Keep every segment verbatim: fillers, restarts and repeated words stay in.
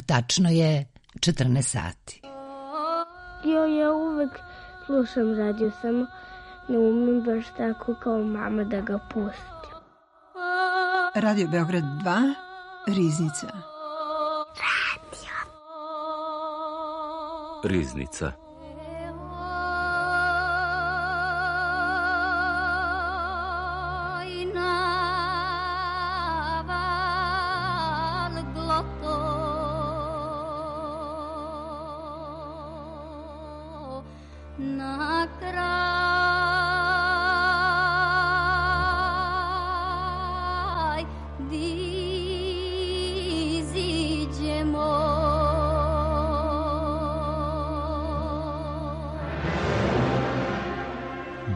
tačno je četrnaest sati. Jo, ja uvek slušam radio, samo ne umem baš tako kao mama da ga pustim. Radio Beograd dva, Riznica. Radio. Riznica.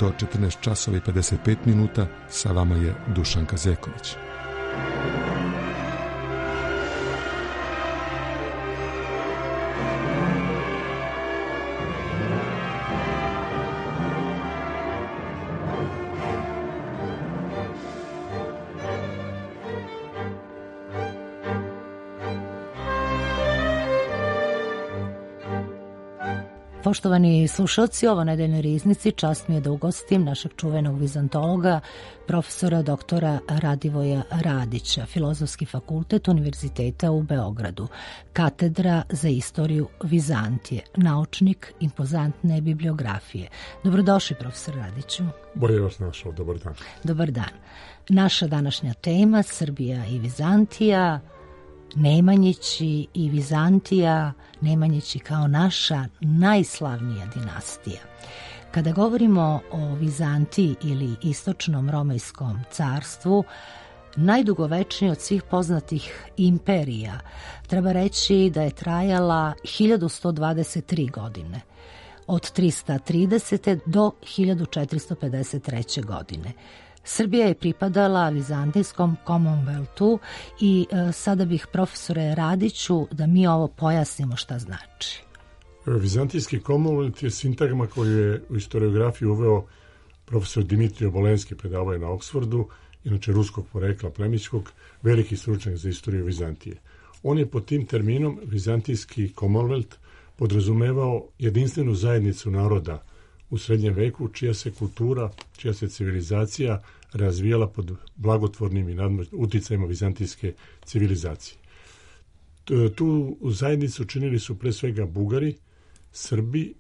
Do četrnaest časova i pedeset pet minuta sa vama je Dušan Kazeković. Poštovani slušalci, ovo nedeljnoj Riznici čast mi je da ugostim našeg čuvenog vizantologa, profesora doktora Radivoja Radića, Filozofski fakultet Univerziteta u Beogradu, katedra za istoriju Vizantije, naučnik impozantne bibliografije. Dobrodošli, profesor Radiću. Bolje vas našao, dobar dan. Dobar dan. Naša današnja tema, Srbija i Vizantija, Nemanjići i Vizantija, Nemanjići kao naša najslavnija dinastija. Kada govorimo o Vizantiji ili Istočnom Romejskom carstvu, najdugovečniji od svih poznatih imperija, treba reći da je trajala hiljadu sto dvadeset tri godine, od trista tridesete do hiljadu četiristo pedeset treće godine. Srbija je pripadala Vizantijskom Commonwealthu i e, sada bih, profesore Radiću, da mi ovo pojasnimo šta znači. Vizantijski Commonwealth je sintagma koju je u historiografiji uveo profesor Dimitrije Obolenski, predavao je na Oksfordu, inače ruskog porekla plemićkog, veliki stručnjak za istoriju Vizantije. On je pod tim terminom Vizantijski Commonwealth podrazumevao jedinstvenu zajednicu naroda u srednjem veku, čija se kultura, čija se civilizacija razvijala pod blagotvornim i uticajima vizantijske civilizacije. Tu zajednicu činili su pre svega Bugari, Srbi,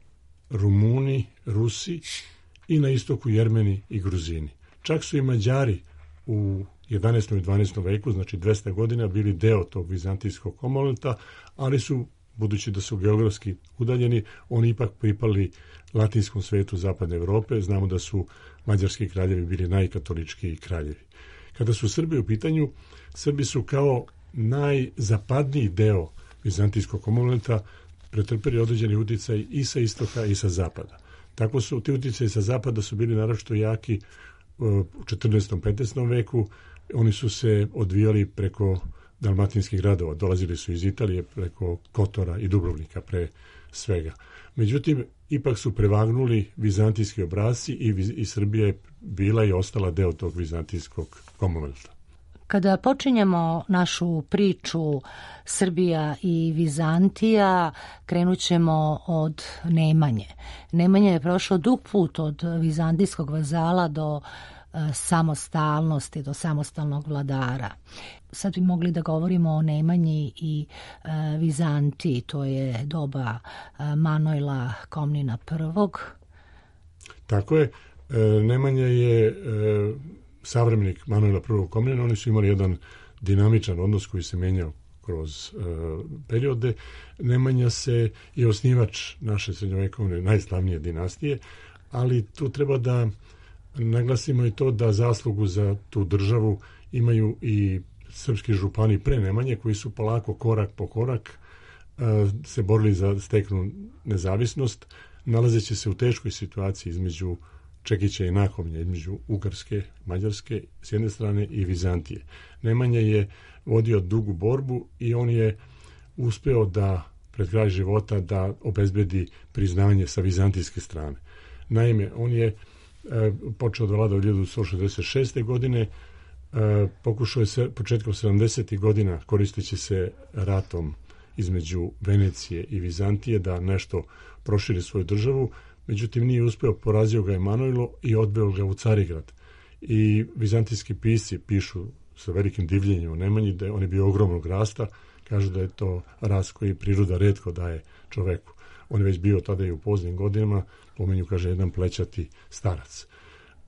Rumuni, Rusi i na istoku Jermeni i Gruzini. Čak su i Mađari u jedanaestom i dvanaestom veku, znači dvesta godina, bili deo tog vizantijskog Commonwealtha, ali su, budući da su geografski udaljeni, oni ipak pripali latinskom svetu zapadne Evrope. Znamo da su mađarski kraljevi bili najkatoličkiji kraljevi. Kada su Srbi u pitanju, Srbi su kao najzapadniji deo vizantijskog Commonwealtha pretrpeli određeni uticaj i sa istoka i sa zapada. Tako su ti uticaji sa zapada su bili naročito jaki u četrnaestom i petnaestom veku. Oni su se odvijali preko dalmatinskih gradova. Dolazili su iz Italije preko Kotora i Dubrovnika pre svega. Međutim, ipak su prevagnuli vizantijski obrasci i, i Srbija je bila i ostala deo tog vizantijskog Commonwealtha. Kada počinjemo našu priču Srbija i Vizantija, krenut ćemo od Nemanje. Nemanja je prošao dug put od vizantijskog vazala do samostalnosti, do samostalnog vladara. Sad bi mogli da govorimo o Nemanji i e, Vizantiji, to je doba e, Manojla Komnina prvog. Tako je, e, Nemanja je e, savremenik Manojla prvog Komnina, oni su imali jedan dinamičan odnos koji se menjao kroz e, periode. Nemanja se je osnivač naše srednjovekovne najslavnije dinastije, ali tu treba da naglasimo i to da zaslugu za tu državu imaju i srpski župani pre Nemanje, koji su polako, korak po korak, se borili za steknu nezavisnost, nalazeći se u teškoj situaciji između Čekića i Nakovnja, između Ugarske, Mađarske s jedne strane i Vizantije. Nemanja je vodio dugu borbu i on je uspeo da pred kraj života da obezbedi priznanje sa vizantijske strane. Naime, on je e, počeo da vlada od hiljadu sto šezdeset šeste. godine, e, pokušao je se početkom sedamdesetih godina, koristeći se ratom između Venecije i Vizantije da nešto proširi svoju državu, međutim nije uspeo, porazio ga Emanuilo i odveo ga u Carigrad. I vizantijski pisci pišu sa velikim divljenjem o Nemanji, da je on je bio ogromnog rasta, kažu da je to rast koji priroda retko daje čoveku. On je već bio tada i u poznim godinama, pomenju, kaže, jedan plećati starac.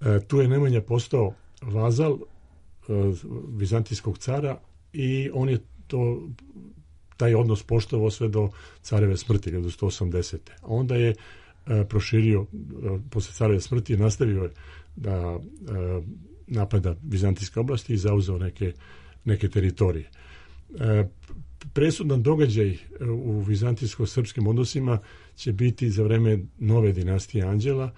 E, tu je Nemanja postao vazal e, vizantijskog cara i on je to, taj odnos poštovao sve do careve smrti, do sto osamdesete. A onda je e, proširio, e, posle careve smrti, nastavio je da e, napada vizantijske oblasti i zauzeo neke, neke teritorije. E, presudan događaj u vizantijsko-srpskim odnosima će biti za vreme nove dinastije Anđela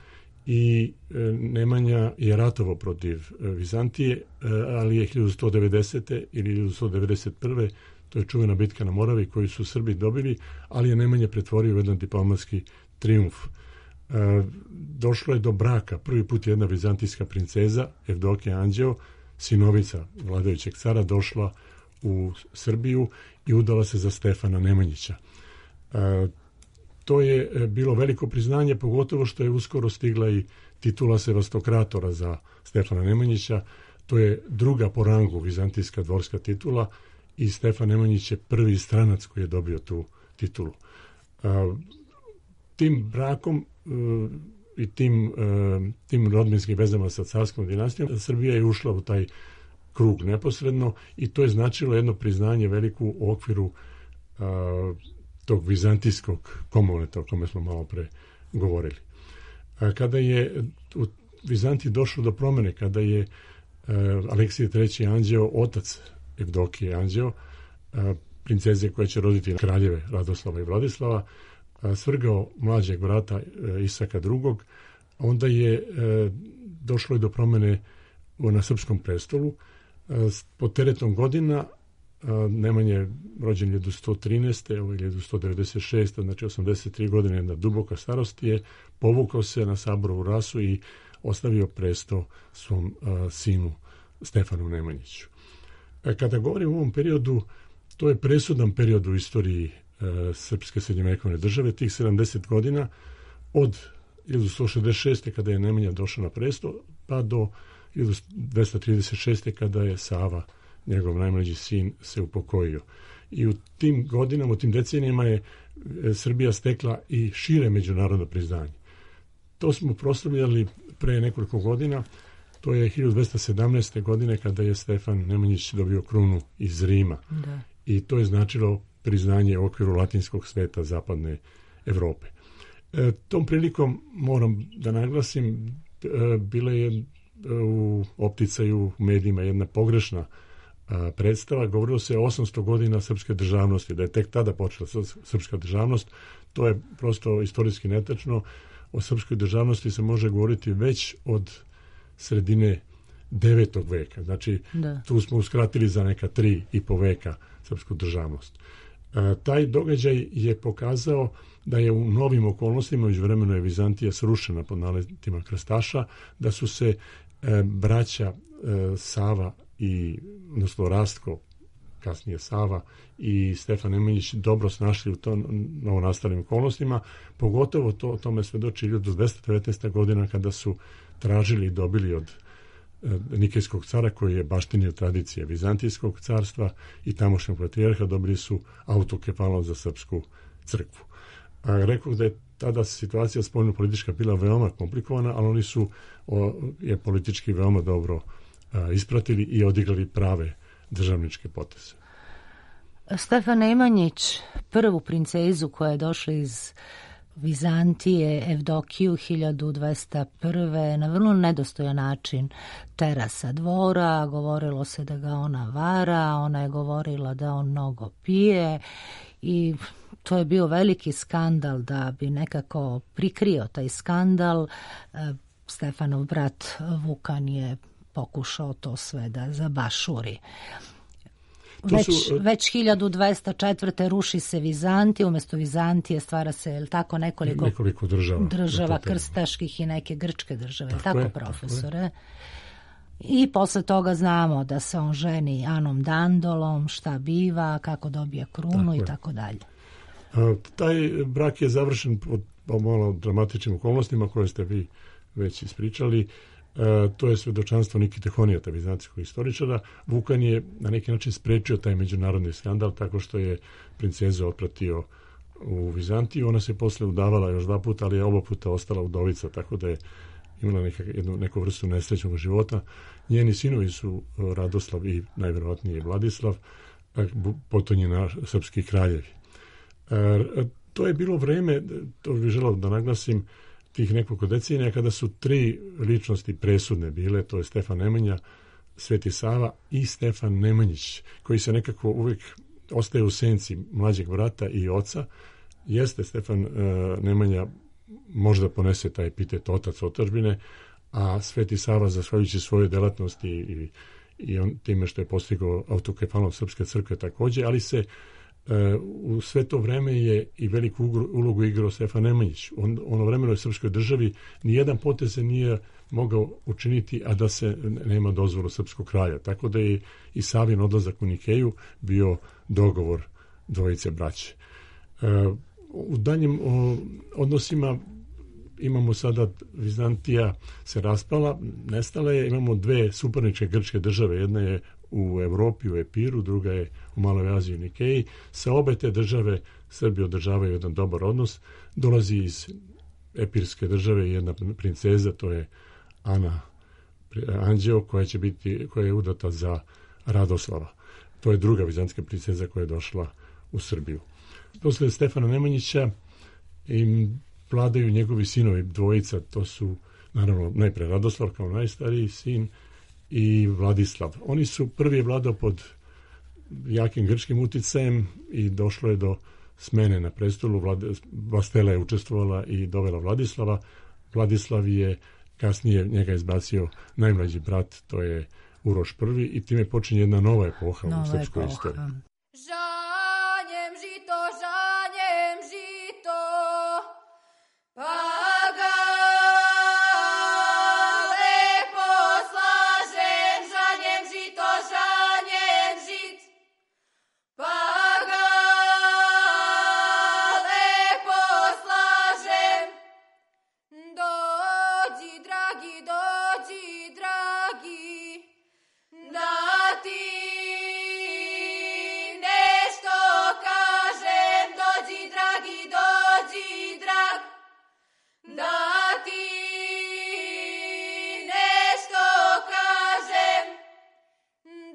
i e, Nemanja je ratovao protiv e, Vizantije, e, ali je hiljadu sto devedesete ili hiljadu sto devedeset prve. to je čuvena bitka na Moravi koju su Srbi dobili, ali je Nemanja pretvorio u jedan diplomatski trijumf. E, došlo je do braka. Prvi put jedna vizantijska princeza, Evdokija Anđeo, sinovica vladajućeg cara, došla u Srbiju i udala se za Stefana Nemanjića. E, to je bilo veliko priznanje, pogotovo što je uskoro stigla i titula sevastokratora za Stefana Nemanjića. To je druga po rangu vizantijska dvorska titula i Stefan Nemanjić je prvi stranac koji je dobio tu titulu. E, tim brakom e, i tim, e, tim rodbinskim vezama sa carskom dinastijom Srbija je ušla u taj krug neposredno i to je značilo jedno priznanje veliko u okviru e, tog vizantijskog komuneta o kome smo malo pre govorili. A kada je u Vizantiji došlo do promene, kada je e, Aleksije treći Anđeo, otac Evdokije Anđeo, e, princeze koja će roditi kraljeve Radoslava i Vladislava, e, svrgao mlađeg brata e, Isaka drugog, onda je e, došlo i do promene na srpskom prestolu. E, pod teretom godina Nemanja je rođen hiljadu sto trinaeste. Ovo je hiljadu sto devedeset šeste. Znači osamdeset tri godine, jedna duboka starost, je povukao se na Saborovu rasu i ostavio presto svom uh, sinu Stefanu Nemanjiću. E, kada govorim o ovom periodu, to je presudan period u istoriji uh, srpske srednjovekovne države, tih sedamdeset godina, od hiljadu sto šezdeset šeste. kada je Nemanja došao na presto, pa do hiljadu dvesta trideset šeste. kada je Sava, njegov najmlađi sin, se upokojio. I u tim godinama, u tim decenijama je Srbija stekla i šire međunarodno priznanje. To smo proslavljali pre nekoliko godina. To je hiljadu dvesta sedamnaeste. godine kada je Stefan Nemanjić dobio krunu iz Rima. Da. I to je značilo priznanje u okviru latinskog sveta zapadne Evrope. E, tom prilikom moram da naglasim, e, bila je u opticaju u medijima jedna pogrešna predstava. Govorilo se o osamsto godina srpske državnosti, da je tek tada počela srpska državnost. To je prosto istorijski netačno. O srpskoj državnosti se može govoriti već od sredine devetog veka. Znači, da. Tu smo uskratili za neka tri i po veka srpsku državnost. E, taj događaj je pokazao da je u novim okolnostima, međuvremeno je Vizantija srušena pod naletima krstaša, da su se e, braća e, Sava i odnosno Rastko, kasnije Sava i Stefan Nemanjić dobro snašli u tom novonastalim okolnostima, pogotovo to o tome svedoči hiljadu dvesta devetnaesta. godina kada su tražili i dobili od e, Nikejskog cara, koji je baštinio tradicije Vizantijskog carstva i tamošnjeg patrijarha, dobili su autokefalnost za srpsku crkvu. A rekao da je tada situacija spoljno-politička bila veoma komplikovana, ali oni su o, je politički veoma dobro ispratili i odigrali prave državničke poteze. Stefan Nemanjić, prvu princezu koja je došla iz Vizantije, Evdokiju, hiljadu dvesta prve. na vrlo nedostojan način tera sa dvora, govorilo se da ga ona vara, ona je govorila da on mnogo pije i to je bio veliki skandal. Da bi nekako prikrio taj skandal, Stefanov brat Vukan je pokušao to sve da zabašuri. Već, su, već hiljadu dvesta četvrte. ruši se Vizantija, umjesto Vizantije stvara se, je tako, nekoliko, nekoliko država, država krstaških i neke grčke države, tako, tako je, profesore? Tako je. I posle toga znamo da se on ženi Anom Dandolom, šta biva, kako dobija krunu tako i tako dalje. A, taj brak je završen pod malo dramatičnim okolnostima koje ste vi već ispričali. A, to je svedočanstvo Nikite Honijata, vizantijskog istoričara. Vukan je na neki način sprečio taj međunarodni skandal tako što je princezu otpratio u Vizantiju. Ona se posle udavala još dva puta, ali je oba puta ostala udovica, tako da je imala neka, jednu, neku vrstu nesrećnog života. Njeni sinovi su Radoslav i najverovatnije Vladislav, potonji na srpski kraljevi. E, to je bilo vreme, to bih želeo da naglasim, tih nekoliko decenija kada su tri ličnosti presudne bile, to je Stefan Nemanja, Sveti Sava i Stefan Nemanjić, koji se nekako uvijek ostaje u senci mlađeg brata i oca. Jeste Stefan e, Nemanja možda ponese taj epitet otac otadžbine, a Sveti Sava, zahvaljujući svoje delatnosti i, i on, time što je postigao autokefalnost Srpske crkve također, ali se e, u sve to vreme je i veliku ulogu igrao Stefan Nemanjić. On, ono vremenoj srpskoj državi nijedan potez se nije mogao učiniti, a da se nema dozvolu srpskog kralja. Tako da je i Savin odlazak u Nikeju bio dogovor dvojice braće. E, u daljim o, odnosima imamo sada Vizantija se raspala, nestala je, imamo dve suparničke grčke države, jedna je u Evropi, u Epiru, druga je u Maloj Aziji, u Nikeji. Sa obe te države Srbi održavaju jedan dobar odnos. Dolazi iz epirske države jedna princeza, to je Ana Anđeo, koja će biti, koja je udata za Radoslava. To je druga vizantijska princeza koja je došla u Srbiju. Posle Stefana Nemanjića im vladaju njegovi sinovi, dvojica, to su naravno najpre Radoslav kao najstariji sin i Vladislav. Oni su, prvi je vladao pod jakim grčkim uticajem i došlo je do smene na prestolu. Vlad, Vlastela je učestvovala i dovela Vladislava. Vladislav je kasnije njega izbacio najmlađi brat, to je Uroš prvi, i time počinje jedna nova epoha nova u srpskoj istoriji. Žanjem žito, žanjem žito, pa ga lepo slažem, žanjem žito, žanjem žit, pa ga lepo slažem. Dođi, dragi, dođi, dragi, da ti nešto kažem. Dođi, dragi, dođi, drag, da ti nešto kažem,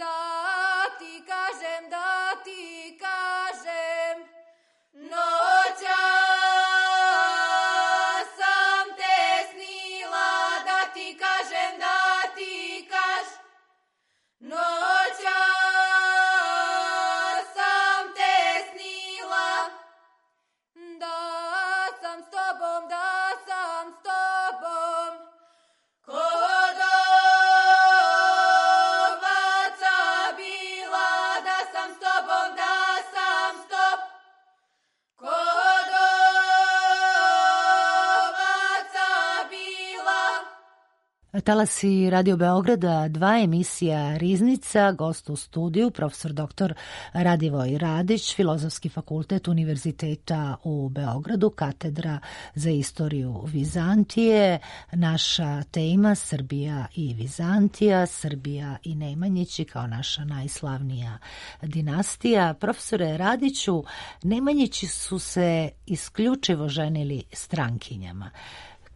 da ti kažem, da ti kažem. Noćas sam te snila, da ti kažem, da ti kaž. Noćas sam te snila, da sam s tobom, da sam s tobom. Kod ovaca bila, da sam s tobom, da sam s tobom. Kod ovaca bila. Talasi Radio Beograda, dva emisija Riznica, gost u studiju, profesor doktor Radivoj Radić, Filozofski fakultet Univerziteta u Beogradu, katedra za istoriju Vizantije. Naša tema Srbija i Vizantija, Srbija i Nemanjići kao naša najslavnija dinastija. Profesore Radiću, Nemanjići su se isključivo ženili strankinjama.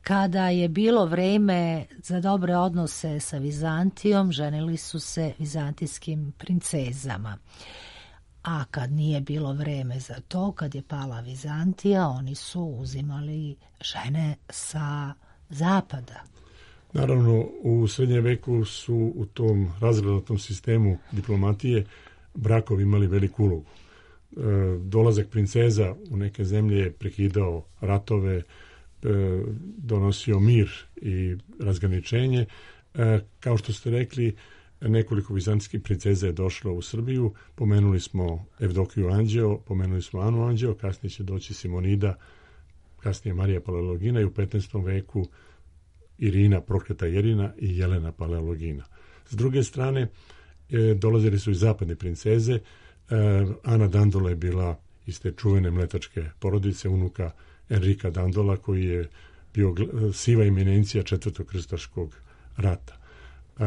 Kada je bilo vreme za dobre odnose sa Vizantijom, ženili su se vizantijskim princezama. A kad nije bilo vreme za to, kad je pala Vizantija, oni su uzimali žene sa zapada. Naravno, u srednjem veku su u tom razgranatom sistemu diplomatije brakovi imali veliku ulogu. E, dolazak princeza u neke zemlje je prekidao ratove, donosio mir i razgraničenje. Kao što ste rekli, nekoliko vizantijskih princeza je došlo u Srbiju. Pomenuli smo Evdokiju Anđeo, pomenuli smo Anu Anđeo, kasnije će doći Simonida, kasnije Marija Paleologina i u petnaestom veku Irina, prokleta Irina i Jelena Paleologina. S druge strane, e, dolazili su i zapadne princeze. E, Ana Dandola je bila iz te čuvene mletačke porodice, unuka Enrika Dandola, koji je bio siva eminencija četvrtog krstaškog rata. E,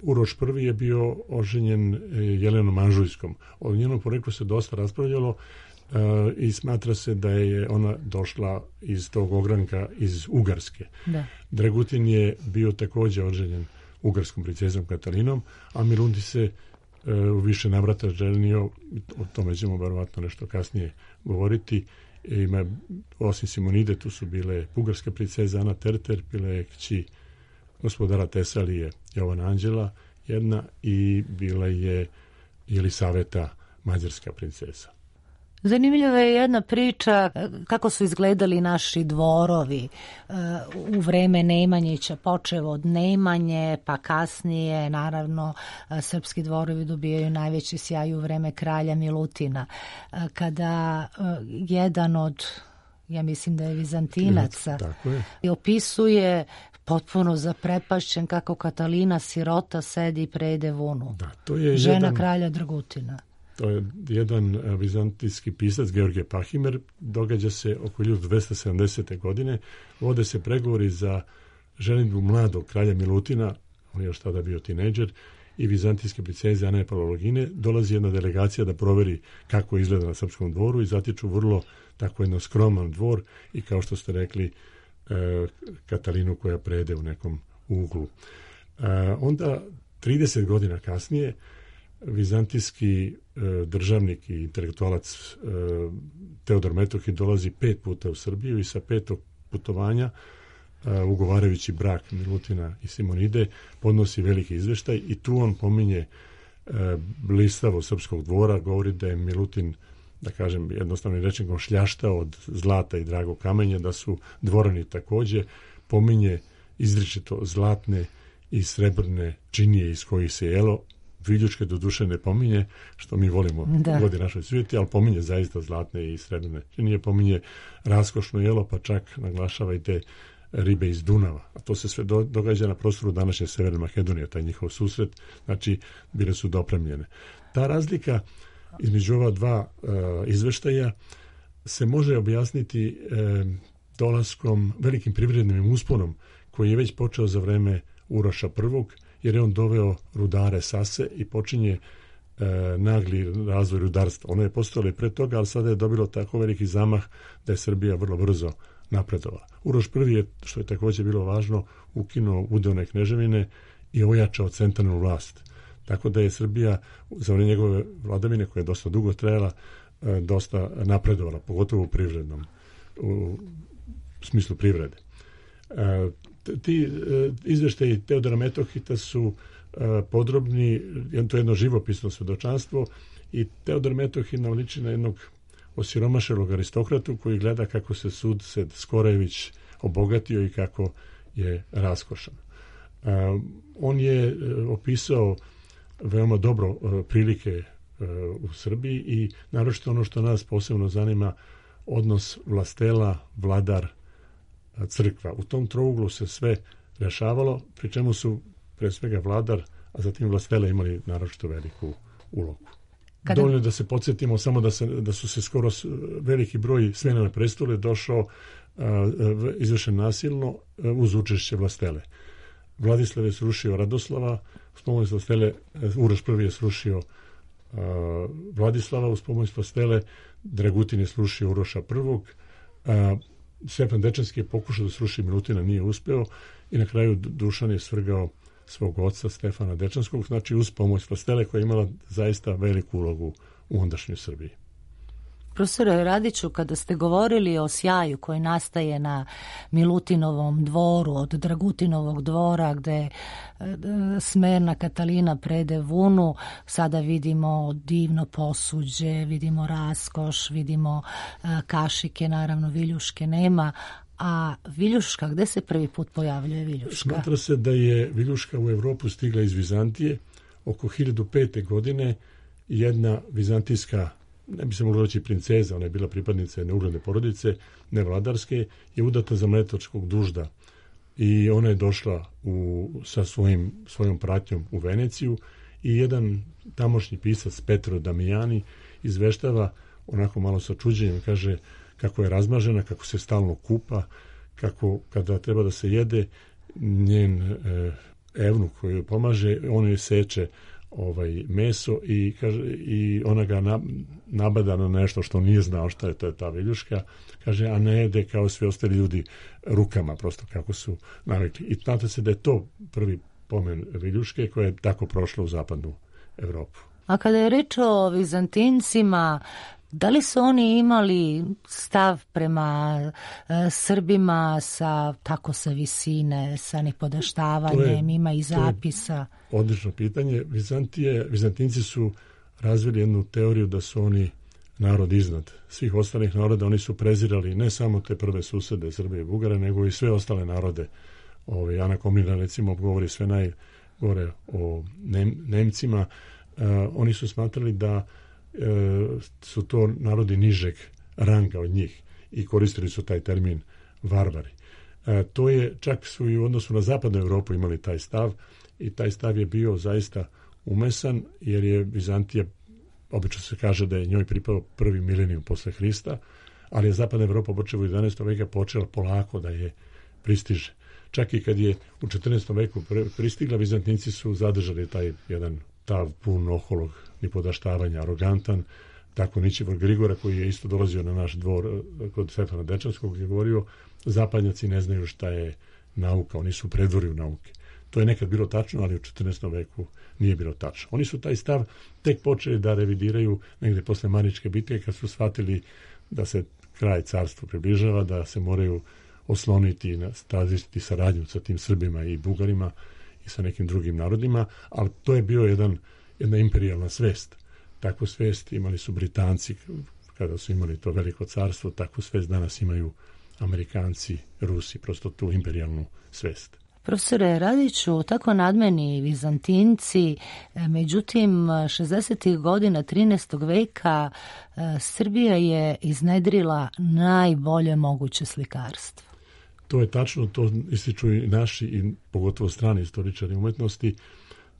Uroš I je bio oženjen Jelenom Anžujskom. O njenom poreklu se dosta raspravljalo uh, i smatra se da je ona došla iz tog ogranka iz Ugarske. Da. Dragutin je bio također oženjen ugarskom princezom Katalinom, a Milutin se uh, u više navrata ženio, o tome ćemo verovatno nešto kasnije govoriti. Ima, osim Simonide, tu su bile bugarska princeza Ana Terter, bila je kći gospodara Tesalije Jovana Anđela jedna i bila je Jelisaveta, mađarska princeza. Zanimljiva je jedna priča kako su izgledali naši dvorovi u vreme Nemanjića, počev od Nemanje, pa kasnije naravno srpski dvorovi dobijaju najveći sjaj u vreme kralja Milutina. Kada jedan od, ja mislim da je Vizantinaca, je. opisuje potpuno zaprepašćen kako Katalina sirota sedi i prede vunu. Da, to je žena jedan, kralja Dragutina. To je jedan vizantijski pisac, Georgije Pahimer. Događa se oko hiljadu dvesta sedamdesete. godine. Vode se pregovori za ženidbu mladog kralja Milutina, on je još tada bio tinejdžer, i vizantijske princeze Ane Palologine. Dolazi jedna delegacija da proveri kako izgleda na srpskom dvoru i zatiču vrlo tako jedno skroman dvor i, kao što ste rekli, Katalinu koja prede u nekom uglu. Onda trideset godina kasnije vizantijski državnik i intelektualac Teodor Metohij dolazi pet puta u Srbiju i sa petog putovanja, ugovarajući brak Milutina i Simonide, podnosi veliki izveštaj i tu on pominje blistavo srpskog dvora, govori da je Milutin, da kažem jednostavno rečeno, šljaštao od zlata i dragog kamenja, da su dvorani također, pominje izričito zlatne i srebrne činije iz kojih se jelo. Viljuške do duše ne pominje, što mi volimo da. Vodi našoj svijeti, ali pominje zaista zlatne i srebrne činije, pominje raskošno jelo, pa čak naglašava i te ribe iz Dunava. A to se sve do, događa na prostoru današnje Severne Makedonije, taj njihov susret, znači bile su dopremljene. Ta razlika između ova dva uh, izveštaja se može objasniti uh, dolaskom, velikim privrednim usponom koji je već počeo za vreme Uroša prvog, jer je on doveo rudare Sase i počinje uh, nagli razvoj rudarstva. Ono je postojalo i pre toga, ali sada je dobilo tako veliki zamah da je Srbija vrlo brzo napredovala. Uroš prvi je, što je također bilo važno, ukinuo udeone kneževine i ojačao centralnu vlast. Tako da je Srbija za vreme njegove vladavine, koja je dosta dugo trajala, dosta napredovala, pogotovo u privrednom, u smislu privrede. Ti izveštaji Teodora Metohita su podrobni, to je jedno živopisno svedočanstvo i Teodor Metohij nam liči na jednog osiromašelog aristokratu koji gleda kako se Sudsed Skorević obogatio i kako je raskošan. On je opisao veoma dobro uh, prilike uh, u Srbiji i naročito ono što nas posebno zanima, odnos vlastela, vladar, crkva. U tom trouglu se sve rešavalo, pri čemu su pre svega vladar, a zatim vlastele imali naročito veliku ulogu. Kada... Dovoljno da se podsjetimo samo da, se, da su se skoro veliki broj smjena na prestole došao uh, izvršen nasilno uh, uz učešće vlastele. Vladislav je srušio Radoslava, uz pomoć vlastele, Uroš prvi je srušio uh, Vladislava, uz pomoć vlastele Dragutin je srušio Uroša prvog, uh, Stjepan Dečanski je pokušao da sruši Milutina, nije uspeo i na kraju Dušan je svrgao svog oca Stefana Dečanskog, znači uz pomoć vlastele koja je imala zaista veliku ulogu u ondašnjoj Srbiji. Profesore Radiću, kada ste govorili o sjaju koji nastaje na Milutinovom dvoru, od Dragutinovog dvora gde smerna Katalina prede vunu, sada vidimo divno posuđe, vidimo raskoš, vidimo kašike, naravno viljuške nema, a viljuška, gde se prvi put pojavljuje viljuška? Smatra se da je viljuška u Evropu stigla iz Vizantije oko hiljadu pete. godine. Jedna vizantijska, ne bi se mogla reći princeza, ona je bila pripadnica jedne ugledne porodice, nevladarske, je udata za mletačkog dužda i ona je došla u, sa svojim, svojom pratnjom u Veneciju i jedan tamošnji pisac Petro Damijani izveštava onako malo sa čuđenjem, kaže kako je razmažena, kako se stalno kupa, kako kada treba da se jede, njen e, evnuk koji joj pomaže, on joj seče ovaj meso i kaže i ona ga na, nabada na nešto što nije znao šta je, to je ta viljuška, kaže, a ne jede kao svi ostali ljudi rukama, prosto kako su navikli. I znate se da je to prvi pomen viljuške koja je tako prošla u zapadnu Evropu. A kada je reč o Vizantincima, da li su oni imali stav prema e, Srbima sa tako sa visine, sa nipodaštavanjem, ima i zapisa? Odlično pitanje. Vizantije, Vizantinci su razvili jednu teoriju da su oni narod iznad svih ostalih naroda. Oni su prezirali ne samo te prve susede Srbije i Bugare, nego i sve ostale narode. Ove, Ana Komnina recimo govori sve najgore o Nem, Nemcima. E, oni su smatrali da su to narodi nižeg ranga od njih i koristili su taj termin varvari. E, to je, čak su i u odnosu na zapadnu Evropu imali taj stav i taj stav je bio zaista umesan jer je Vizantija, obično se kaže da je njoj pripao prvi milenijum posle Hrista, ali je zapadna Evropa počela u jedanaestom veka počela polako da je pristiže. Čak i kad je u četrnaestom veku pristigla, Vizantinci su zadržali taj jedan tav pun oholog nipodaštavanja, arogantan, tako Ničivor Grigora koji je isto dolazio na naš dvor kod Stefana Dečanskog je govorio, zapadnjaci ne znaju šta je nauka, oni su predvorju nauke. To je nekad bilo tačno, ali u četrnaestom veku nije bilo tačno. Oni su taj stav tek počeli da revidiraju negde posle Maničke bitke kad su shvatili da se kraj carstva približava, da se moraju osloniti i tražiti saradnju sa tim Srbima i Bugarima i sa nekim drugim narodima, ali to je bio jedan, jedna imperijalna svest. Takvu svest imali su Britanci kada su imali to veliko carstvo, takvu svest danas imaju Amerikanci, Rusi, prosto tu imperijalnu svest. Profesore Radiću, tako nadmeni Vizantinci, međutim šezdesetih godina trinaestog veka Srbija je iznedrila najbolje moguće slikarstvo. To je tačno, to ističu i naši i pogotovo strani istoričari umetnosti.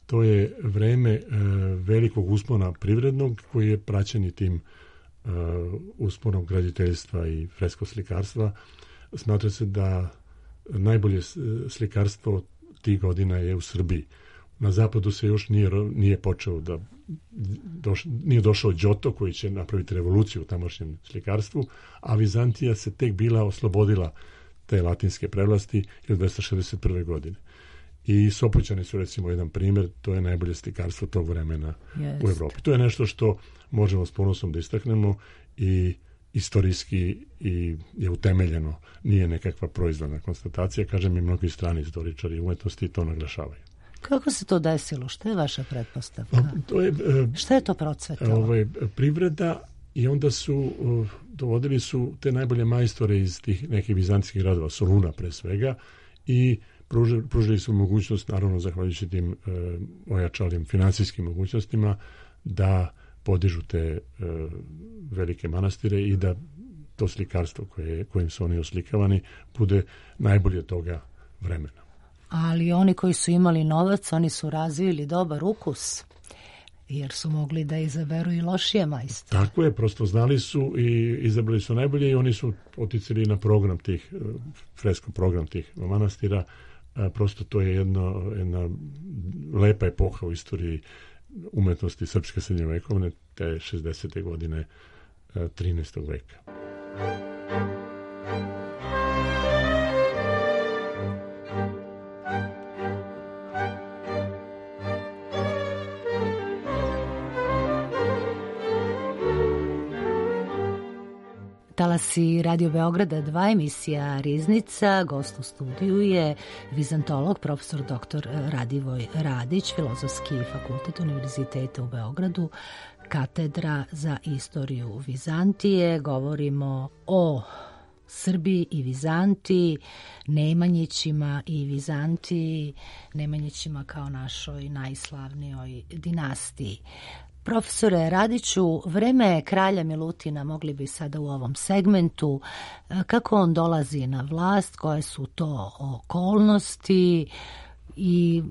To je vreme e, velikog uspona privrednog koji je praćen i tim e, usponom graditeljstva i freskoslikarstva. Smatra se da najbolje slikarstvo tih godina je u Srbiji. Na zapadu se još nije, nije počeo da doš, nije došao Đoto koji će napraviti revoluciju u tamošnjem slikarstvu, a Vizantija se tek bila oslobodila te latinske prevlasti hiljadu dvesta šezdeset prve. godine. I Sopoćani su recimo jedan primjer, to je najbolje slikarstvo tog vremena Jest. u Evropi. To je nešto što možemo s ponosom da istaknemo i istorijski i je utemeljeno, nije nekakva proizvodna konstatacija, kažem i mnogi strani istoričari umetnosti to naglašavaju. Kako se to desilo? Šta je vaša pretpostavka? To je, Šta je to procvetalo? Ovaj, privreda i onda su dovodili su te najbolje majstore iz tih nekih vizantijskih gradova, Soluna pre svega, i pružili, pružili su mogućnost, naravno zahvaljujući tim e, ojačalim finansijskim mogućnostima, da podižu te e, velike manastire i da to slikarstvo koje, kojim su oni oslikavani bude najbolje toga vremena. Ali oni koji su imali novac, oni su razvili dobar ukus, jer su mogli da izaberu i lošije majstore. Tako je, prosto znali su i izabrali su najbolje i oni su oticali na program tih, fresko program tih manastira. Prosto to je jedno, jedna lepa epoha u istoriji umetnosti srpske srednjovekovne, te šezdesete godine trinaestog veka. Talasi Radio Beograda dva, emisija Riznica. Gost u studiju je vizantolog, profesor doktor Radivoj Radić, Filozofski fakultet Univerziteta u Beogradu, katedra za istoriju Vizantije. Govorimo o Srbiji i Vizantiji, Nemanjićima i Vizantiji, Nemanjićima kao našoj najslavnijoj dinastiji. Profesore Radiću, vreme kralja Milutina mogli bi sada u ovom segmentu, kako on dolazi na vlast, koje su to okolnosti, i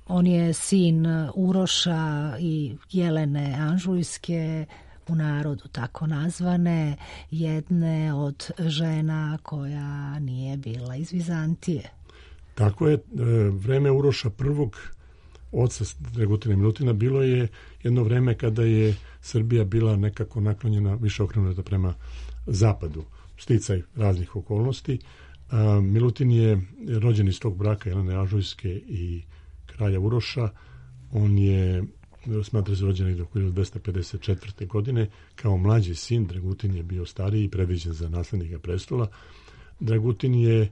on je sin Uroša i Jelene Anžujske, u narodu tako nazvane, jedne od žena koja nije bila iz Vizantije. Tako je, vreme Uroša prvog, oca Dragutina Milutina, bilo je jedno vreme kada je Srbija bila nekako naklonjena, više okrenuta prema zapadu, sticaj raznih okolnosti. Milutin je rođen iz tog braka Jelene Anžujske i kralja Uroša. On je, smatra se, rođen do hiljadu dvesta pedeset četvrte. godine. Kao mlađi sin, Dragutin je bio stariji i predviđen za naslednika prestola. Dragutin je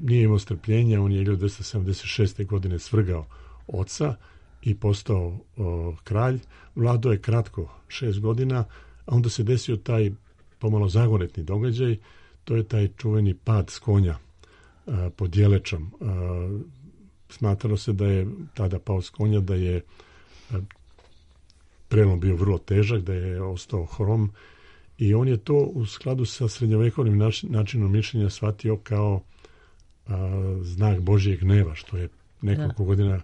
nije imao strpljenja, on je hiljadu dvesta sedamdeset šeste. godine svrgao oca i postao o, kralj. Vladao je kratko, šest godina, a onda se desio taj pomalo zagonetni događaj, to je taj čuveni pad s konja a, pod Jelečom. A, smatralo se da je tada pao s konja, da je a, prelom bio vrlo težak, da je ostao hrom, i on je to u skladu sa srednjovekovnim način, načinom mišljenja shvatio kao a, znak Božjeg gneva, što je nekoliko da. godina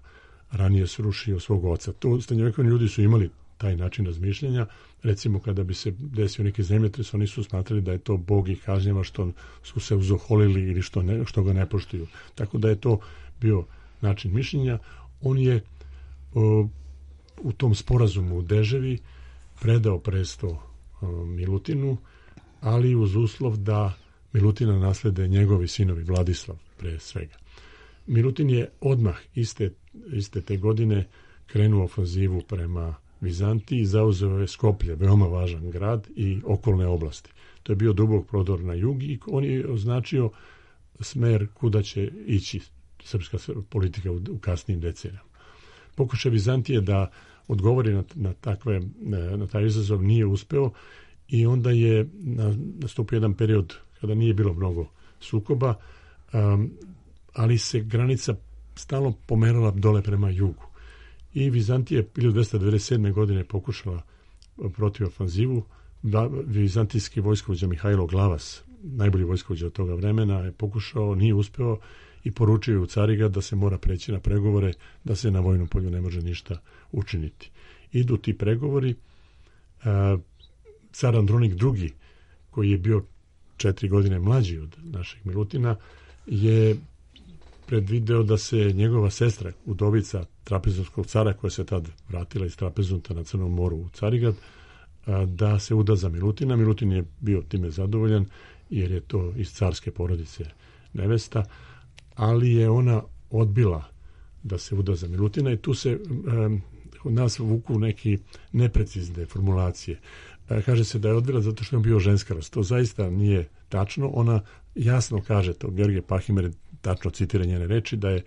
ranije srušio svog oca. To srednjovekovni ljudi su imali taj način razmišljanja. Recimo, kada bi se desio neki zemljotres, oni su smatrali da je to Bog ih kažnjava što su se uzoholili ili što, ne, što ga ne poštuju. Tako da je to bio način mišljenja. On je o, u tom sporazumu u Deževi predao presto o, Milutinu, ali uz uslov da Milutina naslede njegovi sinovi, Vladislav pre svega. Milutin je odmah iste, iste te godine krenuo ofanzivu prema Vizantiji, zauzeo je Skoplje, veoma važan grad, i okolne oblasti. To je bio dubok prodor na jug i on je označio smer kuda će ići srpska politika u, u kasnijim decenijama. Pokušaj Vizantije da odgovori na, na, takve, na taj izazov nije uspeo, i onda je nastupio jedan period kada nije bilo mnogo sukoba, um, ali se granica stalno pomerala dole prema jugu. I Vizantija hiljadu dvesta devedeset sedme. godine pokušala protiv ofanzivu. Vizantijski vojskovođa Mihajlo Glavas, najbolji vojskovođa od toga vremena, je pokušao, nije uspeo, i poručio je u Carigrad da se mora preći na pregovore, da se na vojnom polju ne može ništa učiniti. Idu ti pregovori. Car Andronik drugi, koji je bio četiri godine mlađi od našeg Milutina, je predvideo da se njegova sestra, udovica trapezonskog cara, koja se tad vratila iz Trapezunta na Crnom moru u Carigrad, da se uda za Milutina. Milutin je bio time zadovoljan, jer je to iz carske porodice nevesta, ali je ona odbila da se uda za Milutina, i tu se um, od nas vuku neki neprecizne formulacije. Kaže se da je odbila zato što je bio ženskarost. To zaista nije tačno. Ona jasno kaže, to Georgije Pahimer tačno citira njene reči, da je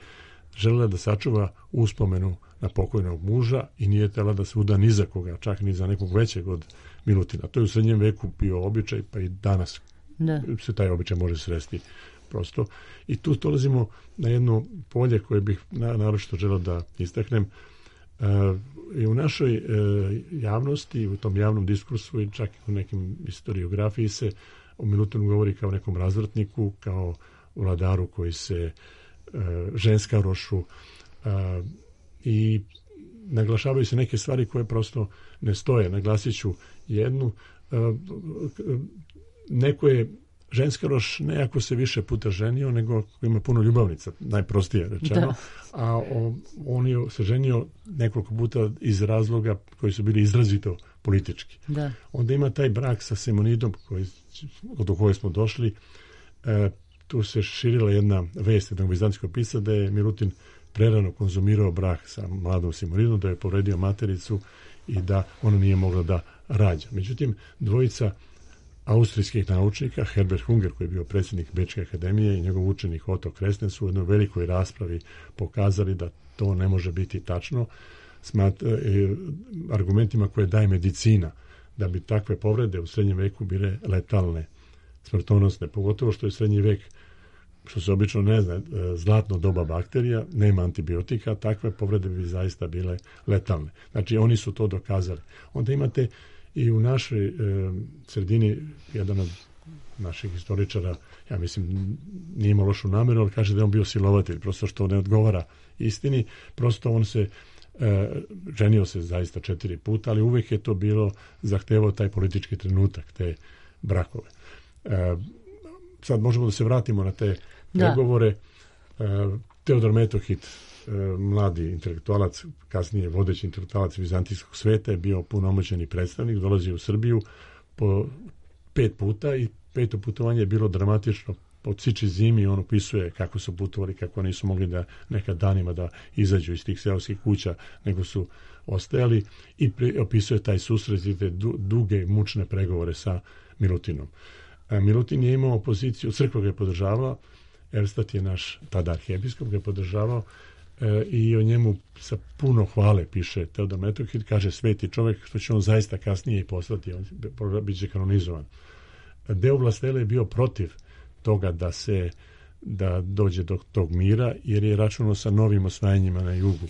želela da sačuva uspomenu na pokojnog muža i nije htjela da se uda ni za koga, čak ni za nekog većeg od Milutina. To je u srednjem veku bio običaj, pa i danas da. se taj običaj može sresti prosto. I tu dolazimo na jedno polje koje bih naročito želeo da istaknem. Uh, i u našoj uh, javnosti, u tom javnom diskursu i čak i u nekim historiografiji se o Milutinu govori kao nekom razvratniku, kao vladaru koji se uh, ženskarošu, uh, i naglašavaju se neke stvari koje prosto ne stoje. Naglasit ću jednu. Uh, neko je ženskaroš ne ako se više puta ženio, nego ako ima puno ljubavnica, najprostije rečeno. Da. A o, on je se ženio nekoliko puta iz razloga koji su bili izrazito politički. Da. Onda ima taj brak sa Simonidom, koji, do koje smo došli. E, tu se širila jedna vest jednog vizantijskog pisca da je Milutin prerano konzumirao brak sa mladom Simonidom, da je povredio matericu i da ona nije mogla da rađa. Međutim, dvojica austrijskih naučnika, Herbert Hunger, koji je bio predsjednik Bečke akademije, i njegov učenik Otto Kresnen su u jednoj velikoj raspravi pokazali da to ne može biti tačno, smat, e, argumentima koje daje medicina, da bi takve povrede u srednjem veku bile letalne, smrtonosne, pogotovo što je srednji vek što se obično ne zna, zlatno doba bakterija, nema antibiotika, takve povrede bi zaista bile letalne. Znači, oni su to dokazali. Onda imate i u našoj e, sredini jedan od naših historičara, ja mislim, nije imao lošu namjeru, ali kaže da je on bio silovatelj, prosto što ne odgovara istini, prosto on se e, ženio se zaista četiri puta, ali uvijek je to bilo zahtevao taj politički trenutak, te brakove. E, sad možemo da se vratimo na te pregovore. E, Teodor Metohit, e, mladi intelektualac, kasnije vodeći intelektualac vizantijskog sveta, je bio punomoćeni predstavnik, dolazi u Srbiju po pet puta i peto putovanje je bilo dramatično. Po ciči zimi on opisuje kako su putovali, kako nisu mogli da nekad danima da izađu iz tih seoskih kuća, nego su ostajali, i pri, opisuje taj susret i te du, duge mučne pregovore sa Milutinom. A Milutin je imao poziciju, crkva ga je podržavala, Erstat je naš tada arhijepiskop, ga je podržavao e, i o njemu sa puno hvale piše Teodor Metohit, kaže sveti čovjek, što će on zaista kasnije i poslati, on bit će kanonizovan. Deo vlastele je bio protiv toga da se da dođe do tog mira, jer je računao sa novim osvajanjima na jugu.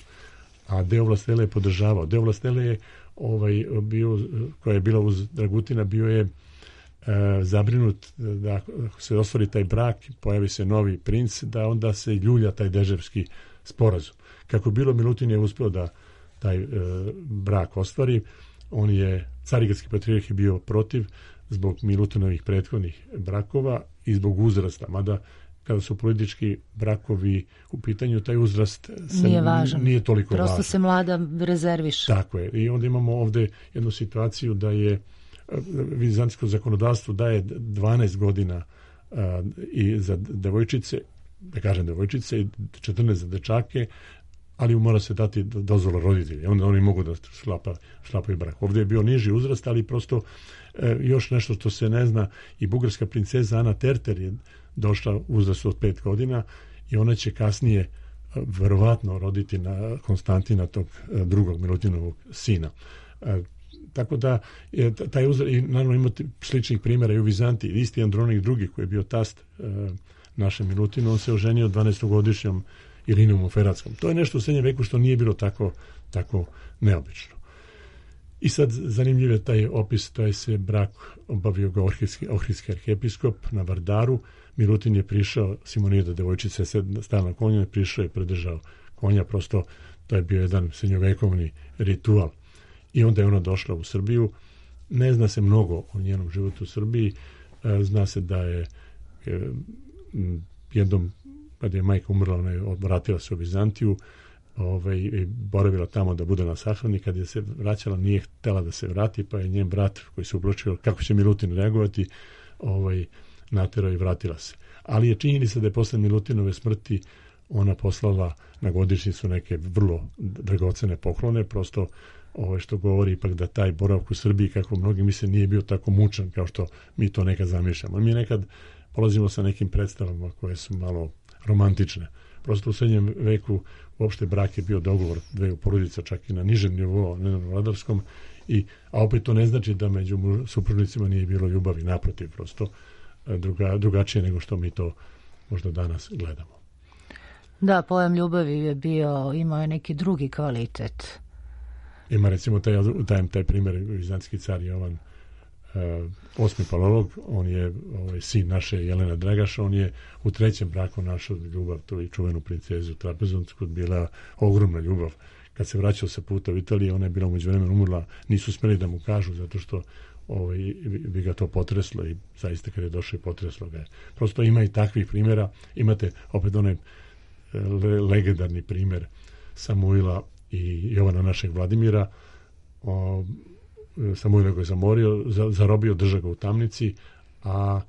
A deo vlastele je podržavao. Deo vlastele je ovaj, bio, koja je bila uz Dragutina, bio je e, zabrinut da ako se ostvari taj brak, pojavi se novi princ, da onda se ljulja taj deževski sporazum. Kako bilo, Milutin je uspio da taj e, brak ostvari. On je, Carigradski patrijarh je bio protiv zbog Milutinovih prethodnih brakova i zbog uzrasta, mada kada su politički brakovi u pitanju, taj uzrast se nije važan. Nije toliko Prosto važan. Prosto se mlada rezerviše. Tako je. I onda imamo ovdje jednu situaciju da je vizantijsko zakonodavstvo daje dvanaest godina a, i za devojčice, da kažem devojčice, i četrnaest za dečake, ali mora se dati dozvola roditelja. Onda oni mogu da šlapa, šlapaju brak. Ovdje je bio niži uzrast, ali prosto e, još nešto što se ne zna, i bugarska princeza Ana Terter je došla u uzrastu od pet godina i ona će kasnije verovatno roditi na Konstantina, tog drugog Milutinovog sina. E, tako da je taj uzrast, i naravno imate sličnih primjera i u Vizantiji. Isti Andronik drugi, koji je bio tast e, našem Milutinu, on se oženio dvanaestogodišnjom Irinom u Feratskom. To je nešto u srednjem veku što nije bilo tako, tako neobično. I sad zanimljiv je taj opis, taj se brak obavio ga ohridski, ohridski arhijepiskop na Vardaru. Milutin je prišao, Simonida devojčica je stala na konju, je prišao i predržao konja, prosto to je bio jedan srednjovekovni ritual. I onda je ona došla u Srbiju. Ne zna se mnogo o njenom životu u Srbiji. Zna se da je jednom, kad je majka umrla, ona je vratila se u Vizantiju, ovaj, i boravila tamo da bude na sahrani. Kad je se vraćala, nije htjela da se vrati, pa je njen brat, koji se ubročio kako će Milutin reagovati, ovaj, naterao i vratila se. Ali je činjenica da je posle Milutinove smrti ona poslala na godišnjicu neke vrlo dragocene poklone, prosto ovaj, što govori ipak da taj boravak u Srbiji, kako mnogi misle, nije bio tako mučan kao što mi to nekad zamišljamo. Mi nekad polazimo sa nekim predstavama koje su malo romantične. Prosto u srednjem veku uopšte brak je bio dogovor dveju porodica, čak i na nižem nivou, ne na vladarskom, i, a opet to ne znači da među supružnicima nije bilo ljubavi, naprotiv, prosto druga, drugačije nego što mi to možda danas gledamo. Da, pojam ljubavi je bio, imao je neki drugi kvalitet. Ima recimo taj, taj, taj primjer, vizantijski car Jovan Uh, osmi palolog, on je ovaj, sin naše Jelena Dragaša, on je u trećem braku našao ljubav, to i čuvenu princezu Trapezonsku, bila ogromna ljubav. Kad se vraćao sa puta u Italiji, ona je bila umeđu vremenu umrla, nisu smeli da mu kažu, zato što ovaj, bi ga to potreslo, i zaista kad je došao i potreslo ga je. Prosto ima i takvih primjera. Imate opet onaj le, legendarni primjer Samuila i Jovana našeg Vladimira. O, Samuila koji je zamorio, zarobio, drža ga u tamnici, a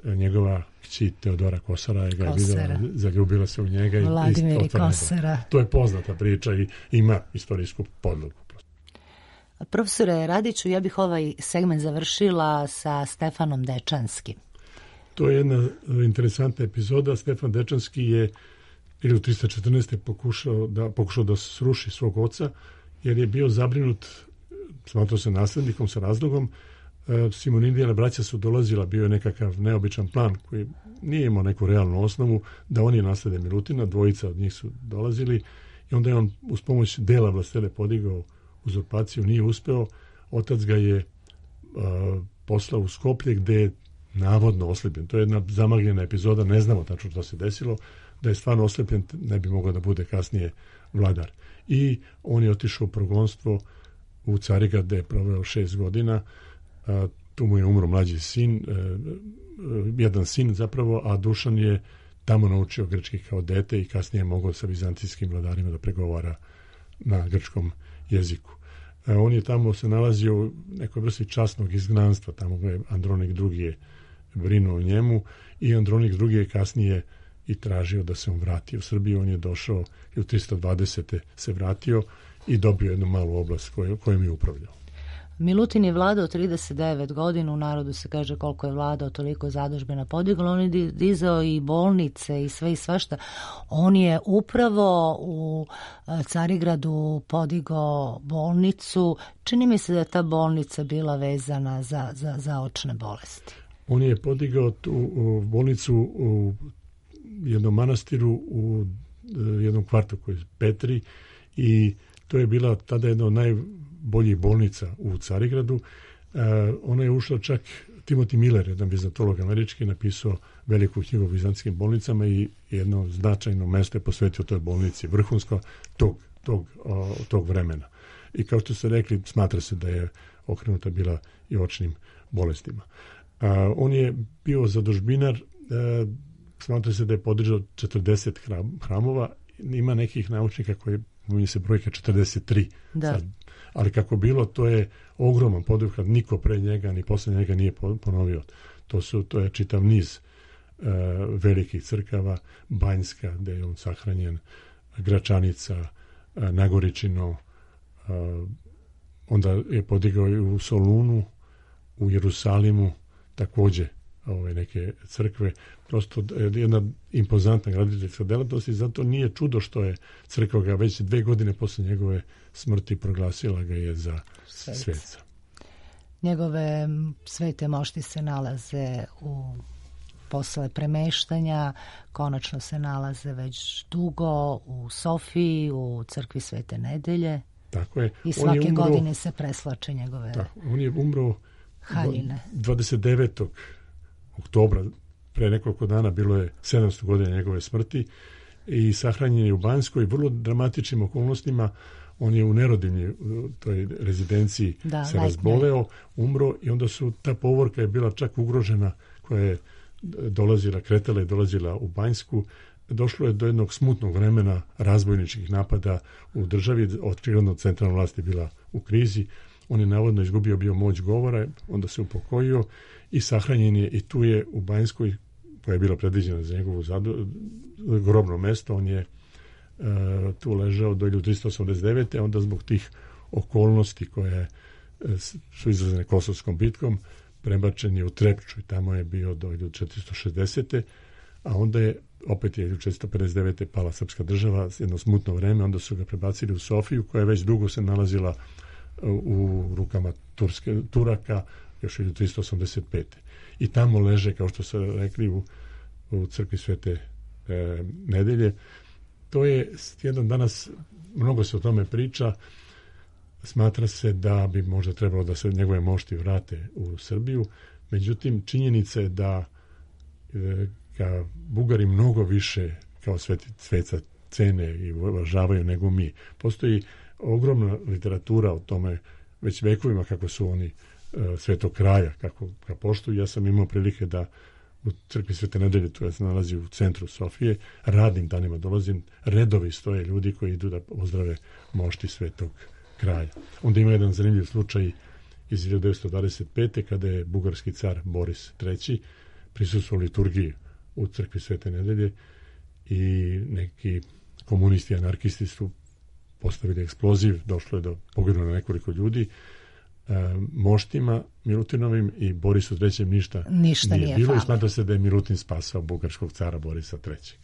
njegova kći Teodora Kosara je ga je videla, zaljubila se u njega. Vladimir i Kosara. To je poznata priča i ima istorijsku podlogu. Profesore Radiću, ja bih ovaj segment završila sa Stefanom Dečanskim. To je jedna interesantna epizoda. Stefan Dečanski je hiljadu trista četrnaeste. pokušao da, pokušao da sruši svog oca, jer je bio zabrinut, smatrao se naslednikom sa razlogom. Simonidijana braća su dolazila, bio je nekakav neobičan plan koji nije imao neku realnu osnovu da oni naslede Milutina, dvojica od njih su dolazili i onda je on uz pomoć dela vlastele podigao uzurpaciju, nije uspeo, otac ga je uh, poslao u Skoplje gde je navodno oslepljen. To je jedna zamagljena epizoda, ne znamo tačno što se desilo, da je stvarno oslepljen, ne bi mogao da bude kasnije vladar. I on je otišao u progonstvo u Carigrad gde je proveo šest godina, a, tu mu je umro mlađi sin, e, e, jedan sin zapravo, a Dušan je tamo naučio grčki kao dete i kasnije je mogao sa vizantijskim vladarima da pregovara na grčkom jeziku. E, on je tamo se nalazio u nekoj vrsti časnog izgnanstva, tamo je Andronik drugi je brinuo o njemu i Andronik drugi je kasnije i tražio da se on vrati u Srbiju. On je došao i u tristo dvadesete se vratio i dobio jednu malu oblast koju, kojom je upravljao. Milutin je vladao trideset devet godina, u narodu se kaže koliko je vladao, toliko zadužbina podigla, on je dizao i bolnice i sve i svašta. On je upravo u Carigradu podigao bolnicu, čini mi se da je ta bolnica bila vezana za, za, za očne bolesti. On je podigao tu u bolnicu u jednom manastiru u jednom kvartu koji je Petri i to je bila tada jedna od najboljih bolnica u Carigradu. E, ona je ušla čak, Timothy Miller, jedan vizantolog američki, napisao veliku knjigu o vizantskim bolnicama i jedno značajno mesto je posvetio toj bolnici, vrhunsko tog, tog, o, tog vremena. I kao što ste rekli, smatra se da je okrenuta bila i očnim bolestima. A, on je bio zadužbinar, e, smatra se da je podržao četrdeset hramova, ima nekih naučnika koji mi se brojka četrdeset tri. Da. Sad, ali kako bilo, to je ogroman poduhvat, niko pre njega ni posle njega nije ponovio. To su to je čitav niz uh, velikih crkava, Banjska gde je on sahranjen, Gračanica, uh, Nagoričino, uh, onda je podigao i u Solunu, u Jerusalimu takođe ove neke crkve, prosto jedna impozantna graditeljska delatnost i zato nije čudo što je crkva ga već dve godine posle njegove smrti proglasila ga je za sveca. Njegove svete mošti se nalaze u posle premeštanja, konačno se nalaze već dugo u Sofiji, u crkvi Svete Nedelje. Tako je. I svake on je umro, godine se preslače njegove tako, on je umro haljine. dvadeset devetog oktobra, pre nekoliko dana, bilo je sedamsto godina njegove smrti i sahranjen je u Banjskoj vrlo dramatičnim okolnostima. On je u Nerodinji, u toj rezidenciji da, se razboleo, umro i onda su, ta povorka je bila čak ugrožena koja je dolazila, kretala i dolazila u Banjsku. Došlo je do jednog smutnog vremena razbojničkih napada u državi, očigledno centralna vlast je bila u krizi. On je navodno izgubio bio moć govora, onda se upokojio i sahranjen je i tu je u Banjskoj, koja je bila predviđena za njegovu zadu, grobno mesto, on je e, tu ležao do tristo osamdeset devete. Onda zbog tih okolnosti koje e, su izrazene Kosovskom bitkom, prebačen je u Trepču i tamo je bio do četiristo šezdesete. A onda je opet je četiristo pedeset devete pala srpska država, jedno smutno vreme, onda su ga prebacili u Sofiju koja je već dugo se nalazila u rukama Turske, Turaka još tristo osamdeset pete. I tamo leže, kao što su rekli, u, u crkvi Svete e, Nedelje. To je jedan danas, mnogo se o tome priča, smatra se da bi možda trebalo da se njegove mošti vrate u Srbiju, međutim činjenica je da e, ga Bugari mnogo više kao sveti, sveca cene i uvažavaju nego mi. Postoji ogromna literatura o tome već vekovima kako su oni e, svetog kraja, kako ga poštuju. Ja sam imao prilike da u crkvi Svete Nedelje, to se nalazi u centru Sofije, radnim danima dolazim, redovi stoje ljudi koji idu da pozdrave mošti svetog kraja. Onda ima jedan zanimljiv slučaj iz hiljadu devetsto dvadeset pete kada je bugarski car Boris treći prisustvovao liturgiji u crkvi Svete Nedelje i neki komunisti, anarkisti su postavili eksploziv, došlo je do poginulo na nekoliko ljudi. E, moštima Milutinovim i Borisu trećem ništa, ništa nije, nije bilo fali. I smatra se da je Milutin spasao bugarskog cara Borisa trećeg.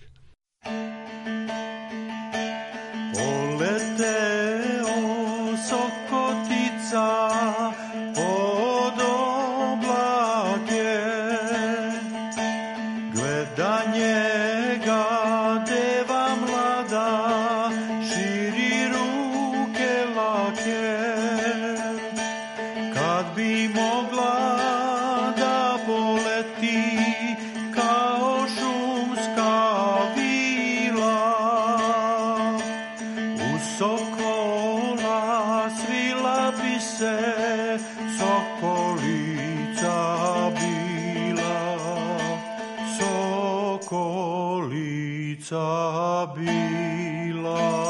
Poleteo sokotica pod oblake, gleda se sokolica bila, sokolica bila.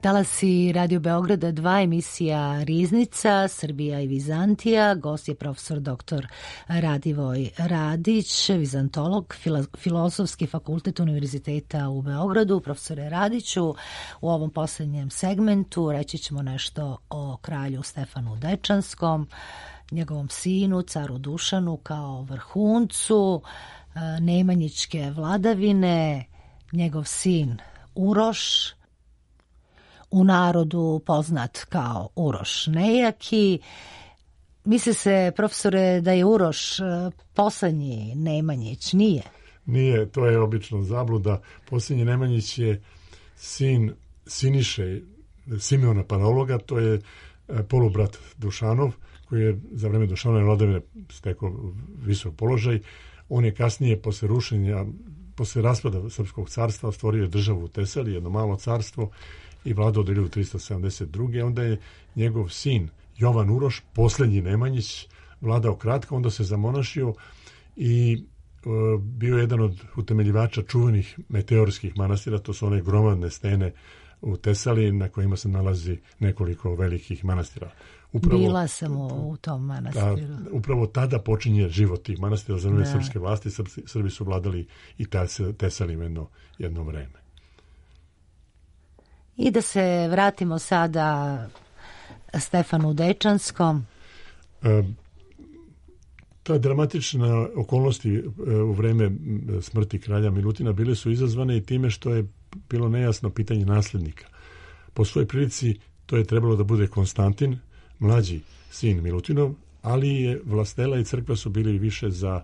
Talasi Radio Beograda dva, emisija Riznica, Srbija i Vizantija. Gost je profesor doktor Radivoj Radić, vizantolog, Filozofski fakultet Univerziteta u Beogradu. Profesore Radiću, u ovom posljednjem segmentu reći ćemo nešto o kralju Stefanu Dečanskom, njegovom sinu, caru Dušanu, kao vrhuncu nemanjičke vladavine, njegov sin Uroš, u narodu poznat kao Uroš Nejaki. Misli se, profesore, da je Uroš poslednji Nemanjić. Nije? Nije, to je obično zabluda. Posljednji Nemanjić je sin Siniše Simeona Panologa, to je polubrat Dušanov, koji je za vreme Dušanove vladavine stekao visok položaj. On je kasnije, posle rušenja, posle raspada Srpskog carstva, stvorio državu u Tesali, jedno malo carstvo, i vladao do hiljadu tristo sedamdeset druge. Onda je njegov sin Jovan Uroš, posljednji Nemanjić, vladao kratko, onda se zamonašio i e, bio jedan od utemeljivača čuvenih meteorskih manastira, to su one gromadne stene u Tesali na kojima se nalazi nekoliko velikih manastira. Upravo, Bila sam u, u tom manastiru. Ta, upravo tada počinje život tih manastira za vreme srpske vlasti. Srbi, Srbi su vladali i Tesalim jedno, jedno vreme. I da se vratimo sada Stefanu Dečanskom. E, ta dramatična okolnosti e, u vreme smrti kralja Milutina bile su izazvane i time što je bilo nejasno pitanje naslednika. Po svojoj prilici to je trebalo da bude Konstantin, mlađi sin Milutinov, ali je vlastela i crkva su bili više za